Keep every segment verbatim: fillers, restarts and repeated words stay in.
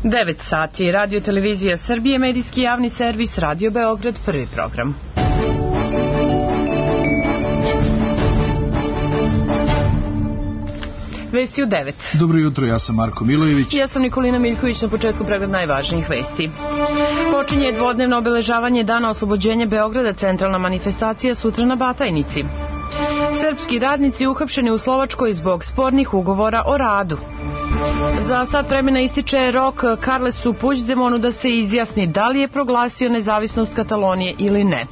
devet sati, Radio Televizija Srbije, medijski javni servis, Radio Beograd, prvi program. Vesti u devet. Dobro jutro, ja sam Marko Milojević. Ja sam Nikolina Miljković, na početku pregled najvažnijih vesti. Počinje dvodnevno obeležavanje Dana oslobođenja Beograda, centralna manifestacija sutra na Batajnici. Srpski radnici uhapšeni u Slovačkoj zbog spornih ugovora o radu. Za sat vremena ističe rok Carlesu Puigdemonu da se izjasni da li je proglasio nezavisnost Katalonije ili ne.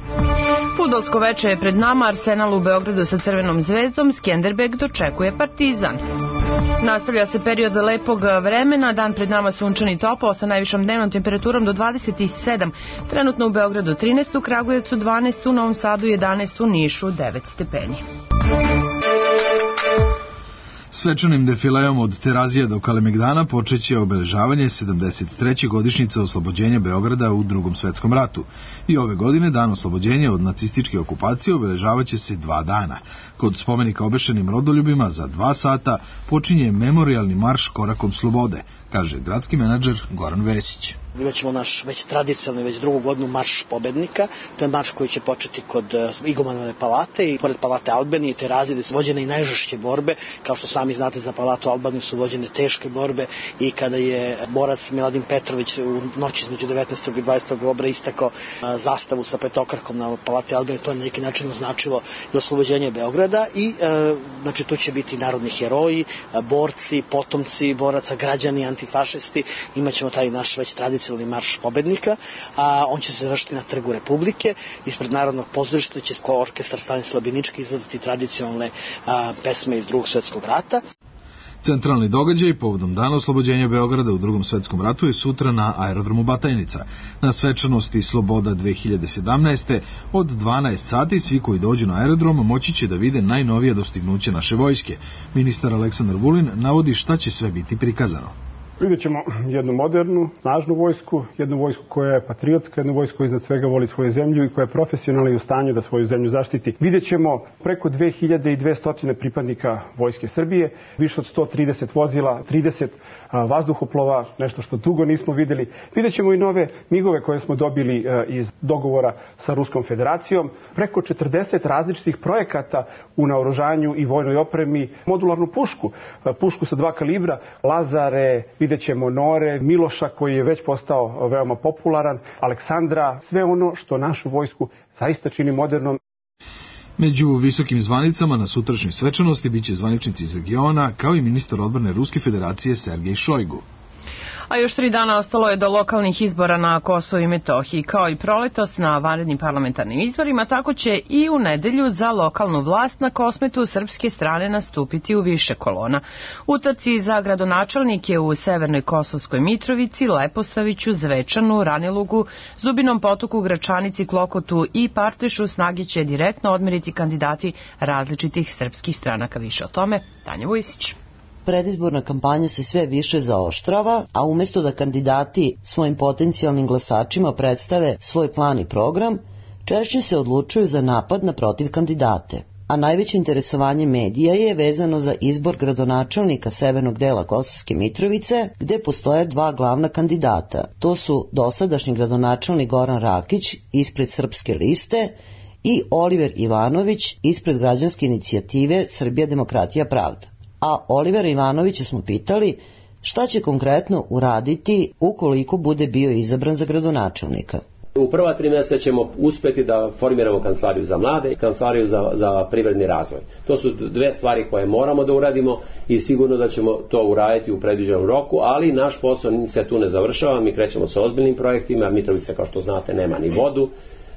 Fudbalsko veče je pred nama, Arsenal u Beogradu sa Crvenom zvezdom, Skenderbeg dočekuje Partizan. Nastavlja se period lepog vremena, dan pred nama sunčan i topao sa najvišom dnevnom temperaturom do dvadeset sedam. Trenutno u Beogradu trinaest, u Kragujevcu dvanaest, u Novom Sadu jedanaest, u Nišu devet stepeni. Svečanim defileom od Terazija do Kalemegdana počeće obeležavanje sedamdeset treće godišnjice oslobođenja Beograda u Drugom svetskom ratu. I ove godine dan oslobođenja od nacističke okupacije obeležavaće se dva dana. Kod spomenika obešenim rodoljubima za dva sata počinje memorijalni marš korakom slobode, kaže gradski menadžer Goran Vesić. Imaćemo naš već tradicionalni, već drugu godinu marš pobednika. To je marš koji će početi kod Igumanove palate i pored palate Albanije i Terazije, gde su vođene i najžešće borbe. Kao što sami znate, za palatu Albaniju su vođene teške borbe i kada je borac Miladin Petrović u noći između devetnaestog i dvadesetog oktobra istakao zastavu sa petokrakom na palati Albanije, to je na neki način označilo i oslobođenje Beograda i znači tu će biti narodni heroji, borci, potomci boraca, građani, antifašisti. Imaćemo taj naš već tradicionalni marš pobednika, a on će se završiti na Trgu Republike. Ispred Narodnog pozorišta će orkestar Stanislav Binički izvoditi tradicionalne a, pesme iz Drugog svjetskog rata. Centralni događaj povodom Dana oslobođenja Beograda u Drugom svetskom ratu je sutra na aerodromu Batajnica. Na svečanosti Sloboda dve hiljade sedamnaeste od dvanaest sati svi koji dođu na aerodrom moći će da vide najnovije dostignuće naše vojske. Ministar Aleksandar Vulin navodi šta će sve biti prikazano. Vidjet ćemo jednu modernu, snažnu vojsku, jednu vojsku koja je patriotska, jednu vojsku koja iznad svega voli svoju zemlju i koja je profesionalna i u stanju da svoju zemlju zaštiti. Vidjet ćemo preko dve hiljade dvesta pripadnika Vojske Srbije, više od sto trideset vozila, trideset vazduhoplova, nešto što dugo nismo videli. Vidjet ćemo i nove migove koje smo dobili iz dogovora sa Ruskom federacijom, preko četrdeset različitih projekata u naoružanju i vojnoj opremi, modularnu pušku, pušku sa dva kalibra, lazare, vidjet ćemo Nore, Miloša koji je već postao veoma popularan, Aleksandra, sve ono što našu vojsku zaista čini modernom. Među visokim zvanicama na sutrašnjoj svečanosti biće zvaničnici iz regiona, kao i ministar odbrane Ruske federacije Sergej Šojgu. A još tri dana ostalo je do lokalnih izbora na Kosovu i Metohiji. Kao i proletos na vanrednim parlamentarnim izborima, tako će i u nedelju za lokalnu vlast na Kosmetu srpske strane nastupiti u više kolona. U trci za gradonačelnike u Severnoj Kosovskoj Mitrovici, Leposaviću, Zvečanu, Ranilugu, Zubinom Potoku, Gračanici, Klokotu i Partešu snage će direktno odmeriti kandidati različitih srpskih stranaka. Više o tome, Tanja Vujsić. Predizborna kampanja se sve više zaoštrava, a umjesto da kandidati svojim potencijalnim glasačima predstave svoj plan i program, češće se odlučuju za napad na protiv kandidate. A najveće interesovanje medija je vezano za izbor gradonačelnika severnog dela Kosovske Mitrovice, gde postoje dva glavna kandidata. To su dosadašnji gradonačelnik Goran Rakić ispred Srpske liste i Oliver Ivanović ispred građanske inicijative Srbija, demokratija, pravda. A Olivera Ivanovića smo pitali šta će konkretno uraditi ukoliko bude bio izabran za gradonačelnika. U prva tri mjeseca ćemo uspjeti da formiramo kancelariju za mlade i kancelariju za, za privredni razvoj. To su dve stvari koje moramo da uradimo i sigurno da ćemo to uraditi u predviđenom roku, ali naš posao se tu ne završava, mi krećemo sa ozbiljnim projektima, Mitrovica kao što znate nema ni vodu,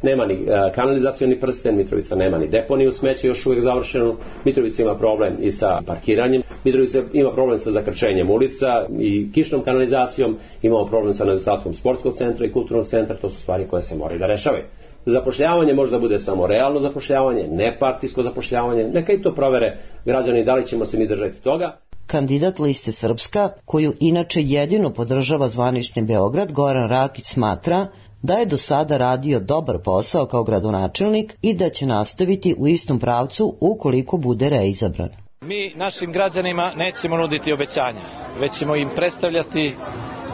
nema ni kanalizacioni prsten, Mitrovica nema ni deponiju smeća još uvijek završenu, Mitrovica ima problem i sa parkiranjem, Mitrovica ima problem sa zakrčenjem ulica i kišnom kanalizacijom, imamo problem sa nedostatkom sportskog centra i kulturnog centra, to su stvari koje se moraju da rešavaju. Zapošljavanje možda bude samo realno zapošljavanje, ne partijsko zapošljavanje, neka i to provere građani da li ćemo se mi držati toga. Kandidat liste Srpska, koju inače jedino podržava zvanični Beograd, Goran Rakić smatra da je do sada radio dobar posao kao gradonačelnik i da će nastaviti u istom pravcu ukoliko bude reizabran. Mi našim građanima nećemo nuditi obećanja, već ćemo im predstavljati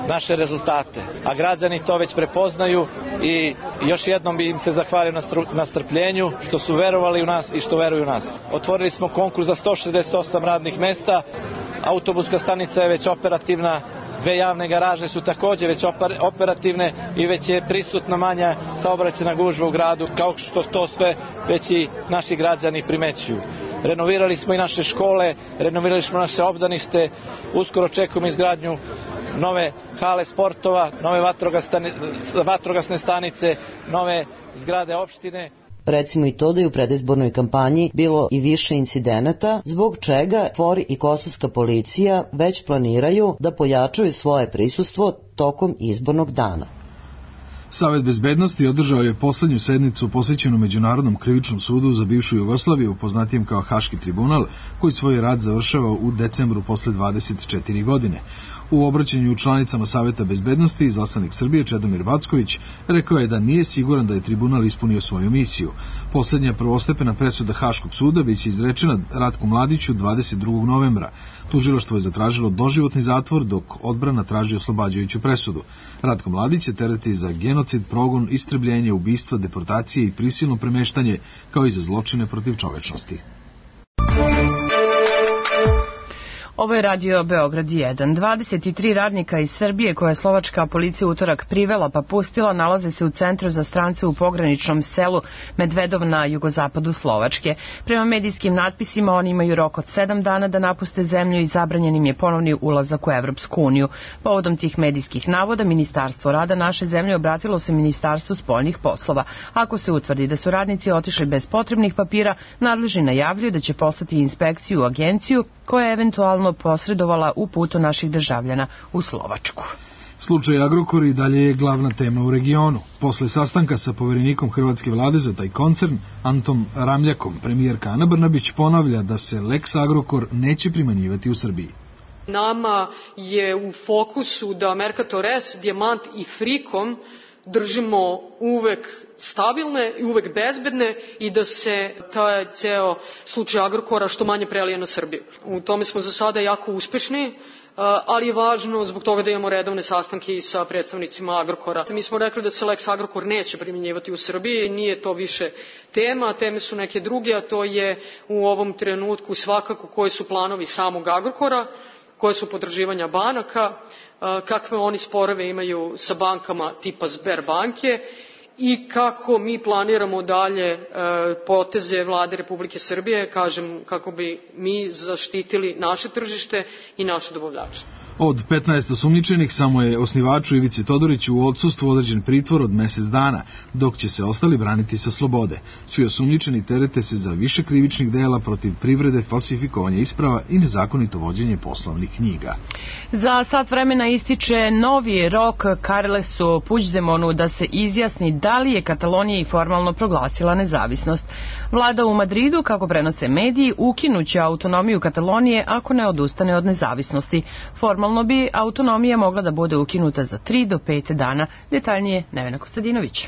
naše rezultate. A građani to već prepoznaju i još jednom bi im se zahvalio na strpljenju što su verovali u nas i što veruju u nas. Otvorili smo konkurs za sto šezdeset osam radnih mesta, autobuska stanica je već operativna, dve javne garaže su također već operativne i već je prisutna manja saobraćajna gužva u gradu, kao što to sve već i naši građani primećuju. Renovirali smo i naše škole, renovirali smo naše obdanište, uskoro očekujemo izgradnju nove hale sportova, nove vatrogasne stanice, nove zgrade opštine. Recimo i to da je u predizbornoj kampanji bilo i više incidenata, zbog čega K F O R i kosovska policija već planiraju da pojačaju svoje prisustvo tokom izbornog dana. Savet bezbednosti održao je poslednju sednicu posvećenu Međunarodnom krivičnom sudu za bivšu Jugoslaviju, poznatijem kao Haški tribunal, koji svoj rad završava u decembru posle dvadeset četiri godine. U obraćanju članicama Saveta bezbednosti izaslanik Srbije Čedomir Backović rekao je da nije siguran da je tribunal ispunio svoju misiju. Poslednja prvostepena presuda Haškog suda biće izrečena Ratku Mladiću dvadeset drugog novembra. Tužilaštvo je zatražilo doživotni zatvor, dok odbrana traži oslobađajuću presudu. Ratko Mladić će tereti za genocid, progon, istrebljenje, ubistva, deportacije i prisilno premeštanje, kao i za zločine protiv čovečnosti. Ovo je radio Beograd jedan. dvadeset tri radnika iz Srbije koje je slovačka policija utorak privela pa pustila nalaze se u centru za strance u pograničnom selu Medvedov na jugozapadu Slovačke. Prema medijskim natpisima oni imaju rok od sedam dana da napuste zemlju i zabranjen im je ponovni ulazak u Evropsku uniju. Povodom tih medijskih navoda Ministarstvo rada naše zemlje obratilo se Ministarstvu spoljnih poslova. Ako se utvrdi da su radnici otišli bez potrebnih papira, nadležni najavljuju da će poslati inspekciju u agenciju koja je eventualno posredovala u putu naših državljana u Slovačku. Slučaj Agrokor i dalje je glavna tema u regionu. Posle sastanka sa poverenikom hrvatske vlade za taj koncern, Antom Ramljakom, premijerka Ana Brnabić ponavlja da se Lex Agrokor neće primenjivati u Srbiji. Nama je u fokusu da Mercator S, Dijamant i Frikom držimo uvek stabilne i uvek bezbedne i da se taj ceo slučaj Agrokora što manje prelije na Srbiju. U tome smo za sada jako uspešni, ali je važno zbog toga da imamo redovne sastanke i sa predstavnicima Agrokora. Mi smo rekli da se Lex Agrokor neće primjenjivati u Srbiji, nije to više tema, teme su neke druge, a to je u ovom trenutku svakako koji su planovi samog Agrokora, koje su potraživanja banaka, kakve oni sporove imaju sa bankama tipa Sberbanke i kako mi planiramo dalje poteze vlade Republike Srbije, kažem, kako bi mi zaštitili naše tržište i naše dobavljače. Od petnaest osumnjičenih samo je osnivaču Ivici Todoriću u odsustvu određen pritvor od mesec dana, dok će se ostali braniti sa slobode. Svi osumnjičeni terete se za više krivičnih dela protiv privrede, falsifikovanja isprava i nezakonito vođenje poslovnih knjiga. Za sat vremena ističe novi rok Carlesu Puigdemonu da se izjasni da li je Katalonija i formalno proglasila nezavisnost. Vlada u Madridu, kako prenose mediji, ukinuće autonomiju Katalonije ako ne odustane od nezavisnosti. Formalno bi autonomija mogla da bude ukinuta za tri do pet dana. Detaljnije Nevena Kostadinović.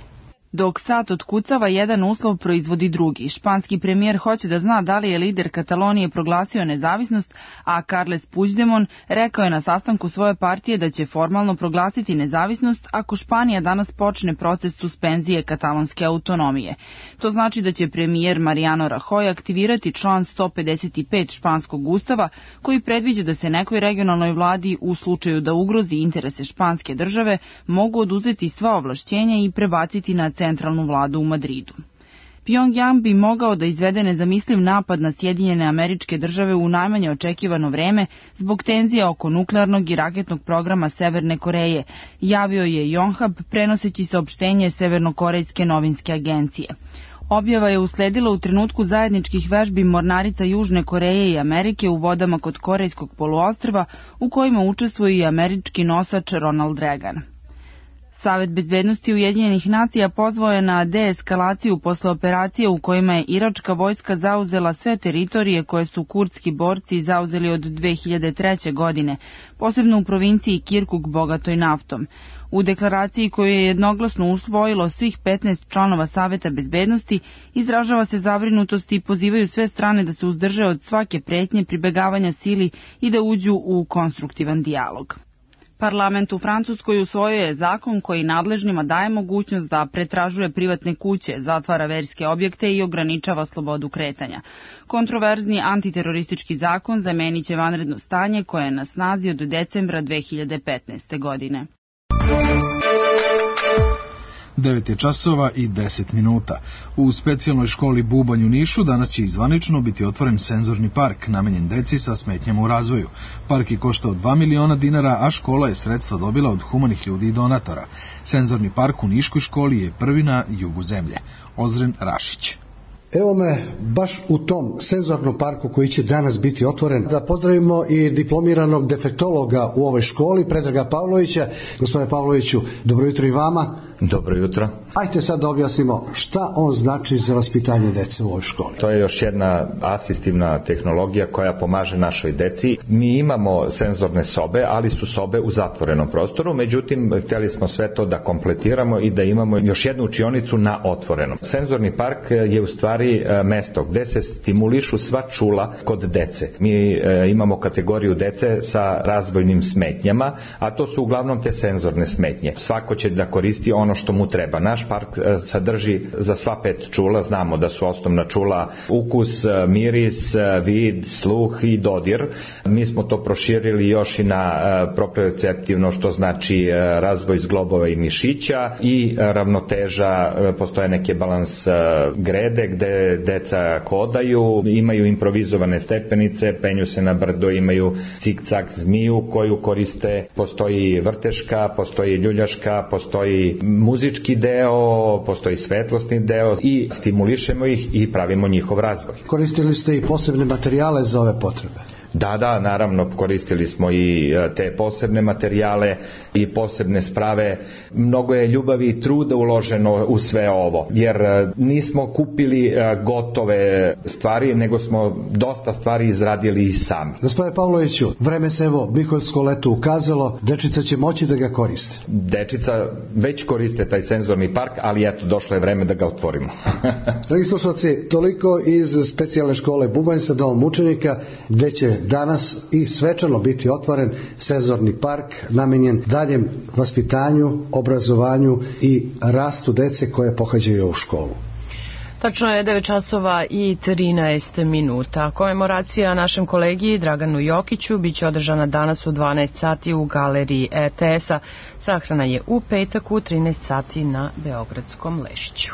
Dok sat otkucava, jedan uslov proizvodi drugi. Španski premijer hoće da zna da li je lider Katalonije proglasio nezavisnost, a Carles Puigdemont rekao je na sastanku svoje partije da će formalno proglasiti nezavisnost ako Španija danas počne proces suspenzije katalonske autonomije. To znači da će premijer Mariano Rajoy aktivirati član sto pedeset pet španskog ustava koji predviđa da se nekoj regionalnoj vladi u slučaju da ugrozi interese španske države mogu oduzeti sva ovlašćenja i prebaciti na centralnu vladu u Madridu. Pjongjang bi mogao da izvede nezamisliv napad na Sjedinjene Američke Države u najmanje očekivano vreme zbog tenzija oko nuklearnog i raketnog programa Severne Koreje, javio je Yonhap prenoseći saopštenje Severnokorejske novinske agencije. Objava je usledila u trenutku zajedničkih vežbi mornarica Južne Koreje i Amerike u vodama kod Korejskog poluostrva u kojima učestvuje i američki nosač Ronald Reagan. Savet bezbednosti Ujedinjenih nacija pozvao je na deeskalaciju posle operacije u kojima je iračka vojska zauzela sve teritorije koje su kurdski borci zauzeli od dve hiljade treće. godine, posebno u provinciji Kirkuk bogatoj naftom. U deklaraciji koju je jednoglasno usvojilo svih petnaest članova Saveta bezbednosti izražava se zabrinutost i pozivaju sve strane da se uzdrže od svake pretnje pribegavanja sili i da uđu u konstruktivan dijalog. Parlament u Francuskoj usvojio je zakon koji nadležnima daje mogućnost da pretražuje privatne kuće, zatvara verske objekte i ograničava slobodu kretanja. Kontroverzni antiteroristički zakon zamenit će vanredno stanje koje je na snazi od decembra dve hiljade petnaeste. godine. devet je časova i deset minuta. U specijalnoj školi Bubanj u Nišu danas će izvanično biti otvoren senzorni park namenjen deci sa smetnjama u razvoju. Park je koštao dva miliona dinara, a škola je sredstva dobila od humanih ljudi i donatora. Senzorni park u Niškoj školi je prvi na jugu zemlje. Ozren Rašić. Evo me baš u tom senzornom parku koji će danas biti otvoren. Da pozdravimo i diplomiranog defektologa u ovoj školi, Predraga Pavlovića. Gospodine Pavloviću, dobro jutro i vama. Dobro jutro. Ajte sad da objasnimo šta on znači za vaspitanje dece u ovoj školi. To je još jedna asistivna tehnologija koja pomaže našoj deci. Mi imamo senzorne sobe, ali su sobe u zatvorenom prostoru, međutim, htjeli smo sve to da kompletiramo i da imamo još jednu učionicu na otvorenom. Senzorni park je u stvari mesto gde se stimulišu sva čula kod dece. Mi e, imamo kategoriju dece sa razvojnim smetnjama, a to su uglavnom te senzorne smetnje. Svako će da koristi ono što mu treba. Naš park e, sadrži za sva pet čula, znamo da su osnovna čula ukus, miris, vid, sluh i dodir. Mi smo to proširili još i na e, proprioceptivno, što znači e, razvoj zglobova i mišića i e, ravnoteža, e, postoje neke balans e, grede gde deca hodaju, imaju improvizovane stepenice, penju se na brdo, imaju cik-cak zmiju koju koriste, postoji vrteška, postoji ljuljaška, postoji muzički deo, postoji svetlosni deo i stimulišemo ih i pravimo njihov razvoj. Koristili ste i posebne materijale za ove potrebe? Da, da, naravno, koristili smo i te posebne materijale i posebne sprave. Mnogo je ljubavi i truda uloženo u sve ovo, jer nismo kupili gotove stvari, nego smo dosta stvari izradili i sami. Gospodine Pavloviću, vreme se evo Miholjsko leto ukazalo, dečica će moći da ga koriste. Dečica već koriste taj senzorni park, ali eto, došlo je vreme da ga otvorimo. Dragi slušalci, toliko iz specijalne škole Bubanj sa domom učenika, gde će danas i svečano biti otvoren senzorni park namenjen daljem vaspitanju, obrazovanju i rastu dece koje pohađaju ovu školu. Tačno je devet časova i trinaest minuta. Komemoracija našem kolegi Draganu Jokiću biće održana danas u dvanaest sati u galeriji E T S-a. Sahrana je u petak u trinaest sati na Beogradskom Lešću.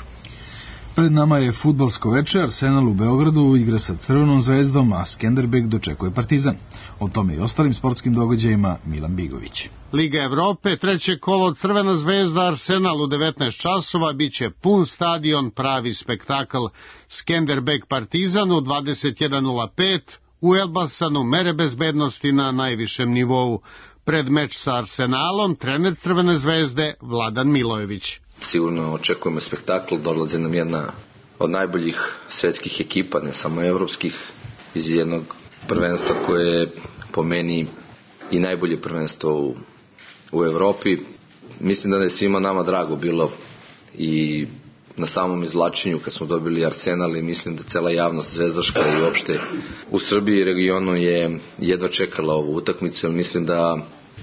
Pred nama je fudbalsko veče. Arsenal u Beogradu igra sa Crvenom zvezdom, a Skenderbeg dočekuje Partizan. O tome i ostalim sportskim događajima Milan Bigović. Liga Evrope, treće kolo, Crvena zvezda Arsenal u devetnaest časova, biće pun stadion, pravi spektakl. Skenderbeg Partizan u dvadeset jedan nula pet, u Elbasanu mere bezbednosti na najvišem nivou. Pred meč sa Arsenalom trener Crvene zvezde Vladan Milojević. Sigurno očekujemo spektakl, dolazi nam jedna od najboljih svetskih ekipa, ne samo evropskih, iz jednog prvenstva koje je po meni i najbolje prvenstvo u, u Evropi. Mislim da je svima nama drago bilo i na samom izvlačenju kad smo dobili Arsenal i mislim da cela javnost zvezdaška i uopšte u Srbiji i regionu je jedva čekala ovu utakmicu, jer mislim da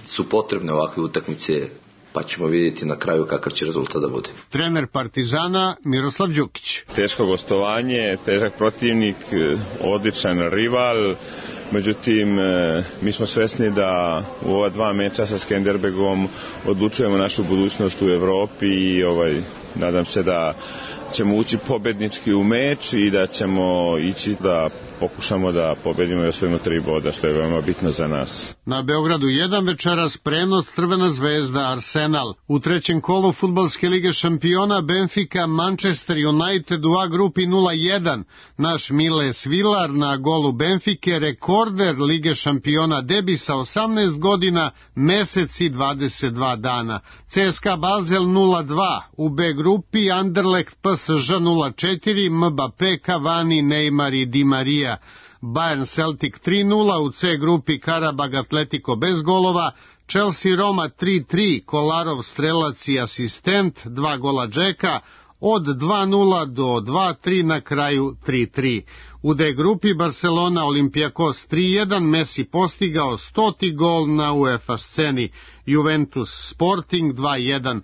su potrebne ovakve utakmice, pa ćemo vidjeti na kraju kakav će rezultat da bude. Trener Partizana Miroslav Đukić. Teško gostovanje, težak protivnik, odličan rival, međutim mi smo svesni da u ova dva meča sa Skenderbegom odlučujemo našu budućnost u Evropi i ovaj, nadam se da ćemo ući pobednički u meč i da ćemo ići da pokušamo da pobedimo i osvojimo tri boda, što je veoma bitno za nas. Na Beogradu jedan večeras prenos Crvena zvezda Arsenal. U trećem kolu Fudbalske lige šampiona Benfica Manchester United u A grupi nula jedan. Naš Miles Vilar na golu Benfike, rekorder Lige šampiona, debi sa osamnaest godina, mesec i dvadeset dva dana. C S K A Basel nula dva. U B grupi Anderlecht P S Ž nula četiri, Mbappé, Cavani, Neymar i Di Maria. Bayern Celtic tri nula, u C grupi Karabag Atletico bez golova, Chelsea Roma tri tri, Kolarov strelac i asistent, dva gola Džeka, od dva nula do dva tri, na kraju tri tri. U D grupi Barcelona Olympiakos tri jedan, Messi postigao stoti gol na UEFA sceni, Juventus Sporting dva jedan.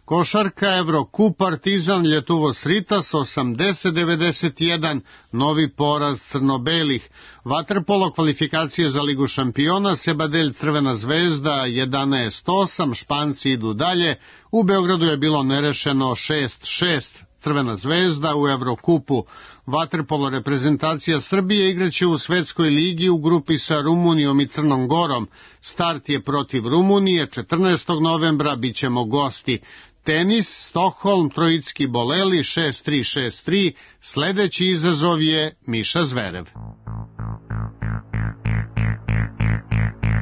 Košarka Evrokup Partizan Ljetuvos Ritas osamdeset devedeset jedan, novi poraz crno-belih. Vaterpolo kvalifikacije za Ligu šampiona, Sebadelj Crvena zvezda jedanaest osam, Španci idu dalje. U Beogradu je bilo nerešeno šest šest. Crvena zvezda u Evrokupu. Vaterpolo reprezentacija Srbije igraće u Svetskoj ligi u grupi sa Rumunijom i Crnom Gorom. Start je protiv Rumunije, četrnaestog novembra bićemo gosti. Tenis, Stokholm, Trojicki Boleli, šest tri šest tri, sledeći izazov je Miša Zverev.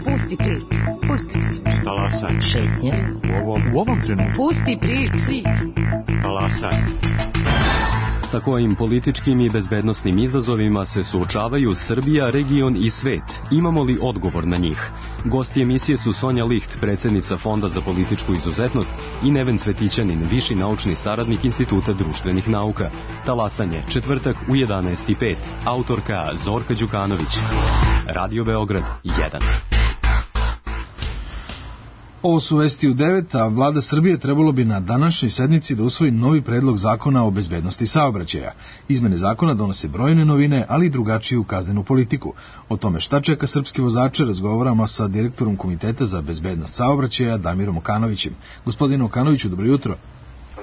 Pusti priču, pusti priču. Talasaj. Šetnje. U ovom, u ovom trenutku. Pusti priču. Talasaj. Sa kojim političkim i bezbednosnim izazovima se suočavaju Srbija, region i svet? Imamo li odgovor na njih? Gosti emisije su Sonja Licht, predsjednica Fonda za političku izuzetnost, i Neven Cvetićanin, viši naučni saradnik Instituta društvenih nauka. Talasanje, četvrtak u jedanaest i pet. Autorka Zorka Đukanović. Radio Beograd jedan. Ovo su vesti u devet, a vlada Srbije trebalo bi na današnjoj sednici da usvoji novi predlog zakona o bezbednosti saobraćaja. Izmene zakona donose brojne novine, ali i drugačiju kaznenu politiku. O tome šta čeka srpski vozače razgovaramo sa direktorom Komiteta za bezbednost saobraćaja Damirom Okanovićem. Gospodine Okanoviću, dobro jutro.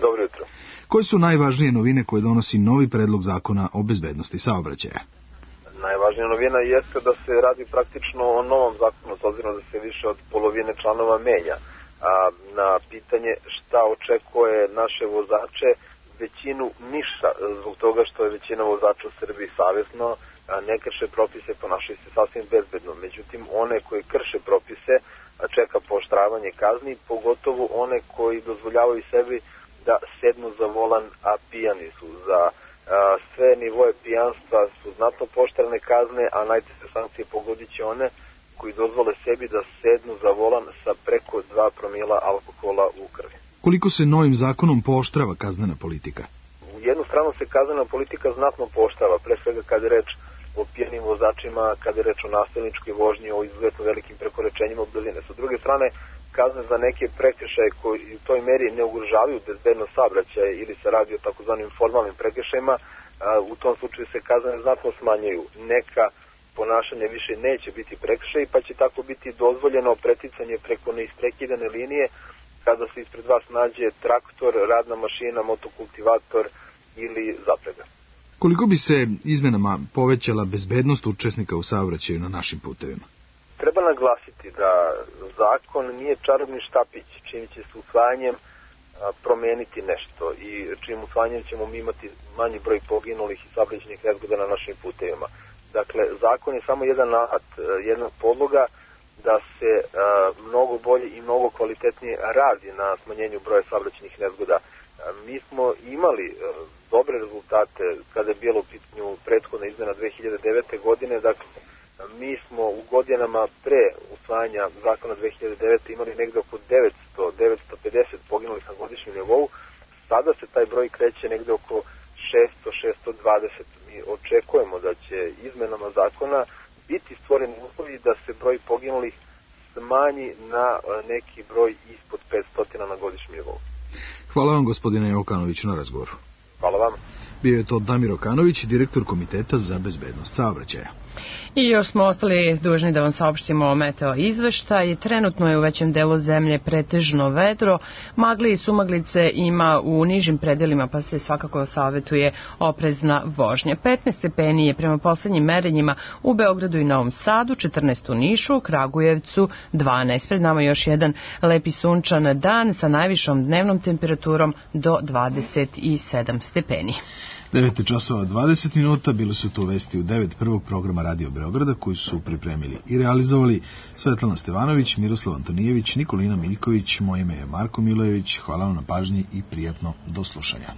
Dobro jutro. Koje su najvažnije novine koje donosi novi predlog zakona o bezbednosti saobraćaja? Najvažnija novina jeste da se radi praktično o novom zakonu, s obzirom da se više od polovine članova menja. A, na pitanje šta očekuje naše vozače, većinu ništa, zbog toga što je većina vozača u Srbiji savjesno, a, ne krše propise, ponašaju se sasvim bezbedno. Međutim, one koji krše propise čeka pooštravanje kazni, pogotovo one koji dozvoljavaju sebi da sednu za volan, a pijani su. Za sve nivoje pijanstva su znatno pooštrene kazne, a najteže sankcije pogodit će one koji dozvole sebi da sednu za volan sa preko dva promila alkohola u krvi. Koliko se novim zakonom pooštrava kaznena politika? U jednu stranu se kaznena politika znatno pooštrava, pre svega kad je reč o pijanim vozačima, kad je reč o nasilničkoj vožnji, o izuzetno velikim prekoračenjima brzine. Sa druge strane, kazne za neke prekršaje koji u toj meri ne ugrožavaju bezbednost saobraćaja ili se radi o takozvanim formalnim prekršajima, u tom slučaju se kazne znatno smanjuju. Neka ponašanja više neće biti prekršaj, pa će tako biti dozvoljeno preticanje preko neisprekidane linije kada se ispred vas nađe traktor, radna mašina, motokultivator ili zaprega. Koliko bi se izmenama povećala bezbednost učesnika u saobraćaju na našim putevima? Treba naglasiti da zakon nije čarobni štapić, čim će se usvajanjem promeniti nešto i čim usvajanjem ćemo mi imati manji broj poginulih i saobraćajnih nezgoda na našim putevima. Dakle, zakon je samo jedan alat, jedna podloga da se a, mnogo bolje i mnogo kvalitetnije radi na smanjenju broja saobraćajnih nezgoda. A, mi smo imali a, dobre rezultate kada je bilo u pitanju prethodna izmena dve hiljade devete. godine, dakle, mi smo u godinama pre usvajanja zakona dve hiljade devete. imali negde oko devetsto do devetsto pedeset poginulih na godišnjem nivou. Sada se taj broj kreće negde oko šesto do šesto dvadeset. Mi očekujemo da će izmenama zakona biti stvoreni uslovi da se broj poginulih smanji na neki broj ispod petsto na godišnjem nivou. Hvala vam, gospodine Okanoviću, na razgovoru. Hvala vam. Bio je to Damir Okanović, direktor Komiteta za bezbednost saobraćaja. I još smo ostali dužni da vam saopštimo o meteo izveštaj. Trenutno je u većem delu zemlje pretežno vedro, magli i sumaglice ima u nižim predelima, pa se svakako savjetuje oprezna vožnja. petnaest stepeni je prema poslednjim merenjima u Beogradu i Novom Sadu, četrnaest u Nišu, Kragujevcu dvanaest. Pred nama još jedan lepi sunčan dan sa najvišom dnevnom temperaturom do dvadeset sedam stepeni. devet časova dvadeset minuta, bili su to vesti u devet prvog programa Radio Beograda koji su pripremili i realizovali Svetlana Stevanović, Miroslav Antonijević, Nikolina Miljković, moje ime je Marko Milojević. Hvala vam na pažnji i prijatno do slušanja.